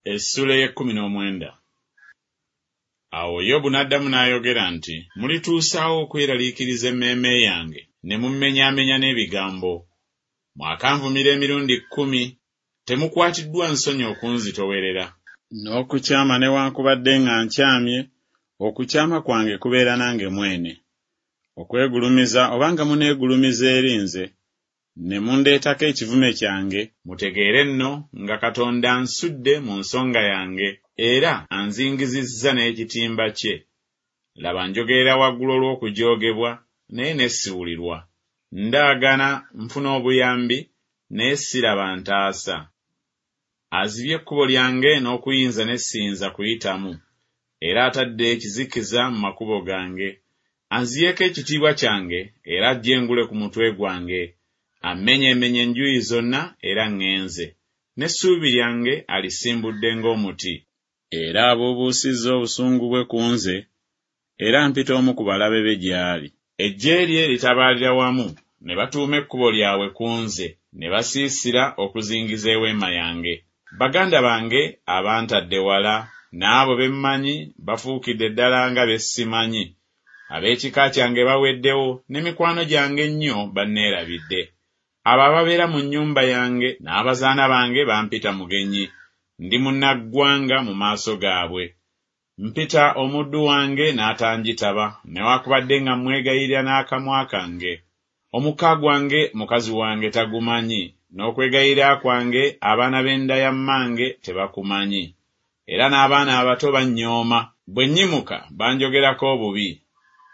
Essuula ey'ekkumi n'omwenda. Awo Yobu n'addamu n'ayogera nti, Mulituusa wa okweraliikiriza emmeeme yange, ne mummenyaamenya n'ebigambo? Mwakanvumira emirundi kkumi, temukwatiddwa nsonyi okunzitoowerera. N'okukyama newaakubadde nga nkyamye, okukyama kwange kubeera nange mwene. Okwegulumiza oba nga muneegulumiza eri nze, ne mundeetako ekivume kyange, mutegeere nno nga Katonda ansudde mu nsonga yange, era anzingizizza n'ekitimba kye. Laba, njogerera waggulu olw'okujoogebwa, naye ne siwulirwa. Ndaagana nfune obuyambi, naye siraba antaasa. Azibye ekkubo lyange n'okuyinza ne siyinza kuyitamu, era atadde ekizikiza mu makubo gange. Anziyeeko ekitiibwa kyange, era aggye engule ku mutwe gwange. Ammenyeemenye enjuyi zonna, era ŋŋenze. N'essuubi lyange alisimbudde ng'omuti. Era abuubuusizza obusungu bwe ku nze, era ampita omu ku balabe be gy'ali. Eggye lye litabaalira wamu, ne batuuma ekkubo lyabwe ku nze, ne basiisira okuzingiza eweema yange. Baganda bange abantadde wala, n'abo be mmanyi bafuukidde ddala nga be simanyi. Ab'ekika kyange baweddewo, ne mikwano gyange ennyo banneerabidde. Abo ababeera mu nnyumba yange n'abazaana bange bampita mugenyi, ndi munnaggwanga mu maaso gaabwe. Mpita omuddu wange n'atanjitaba, newakubadde nga mmwegayirira n'akamwa kange. Omukka gwange mukazi wange tagumanyi, n'okwegayirira kwange abaana b'enda ya mmange tebakumanyi. Era n'abaana abato bannyooma, bwe nnyimuka banjogerako obubi.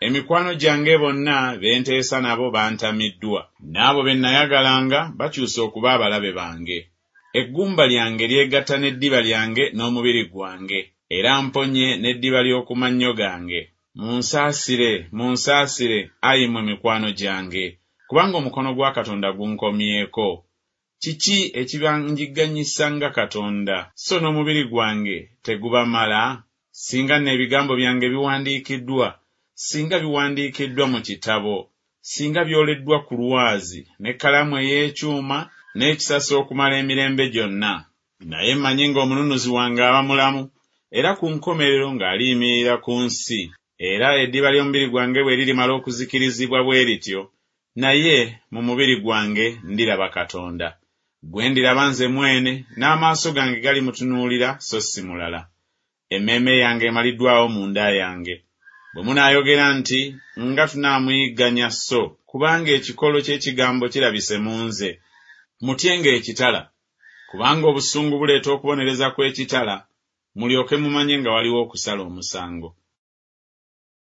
Emikwano gyange bonna be nteesa nabo bantamiddwa. N'abo be nnayagalanga bakyuse okuba abalabe bange. Eggumba lyange lyegatta n'eddiba lyange n'omubiri gwange, era mponye n'eddiba ly'oku mannyo gange. Munsaasire, munsaasire, ayi mmwe mikwano gyange, kubanga omukono gwa Katonda gunkomyeko. Kiki ekibanjigganyisa nga Katonda, so n'omubiri gwange tegubamala? Singa nno ebigambo byange biwandiikiddwa, singa biwandiikiddwa mu kitabo, singa byoleddwa ku lwazi n'ekkalaamu ey'ekyuma n'ekisasi okumala emirembe gyonna! Naye mmanyi ng'Omununuzi wange aba mulamu, era ku nkomerero ng'aliyimirira ku nsi. Era eddiba ly'omubiri gwange bwe lirimala okuzikirizibwa bwe lityo, naye mu mubiri gwange ndiraba Katonda, gwe ndiraba nze mwene, n'amaaso gange galimutunuulira so si mulala. Emmeeme yange emaliddwawo munda yange. Bwe munaayogera nti, Nga tunaamuyigganya so kubanga ekikolo ky'ekigambo kirabise mu nze. Mutyenga ekitala, kubanga obusungu buleeta okubonereza kw'ekitala, mulyoke mumanye nga waliwo okusala omusango.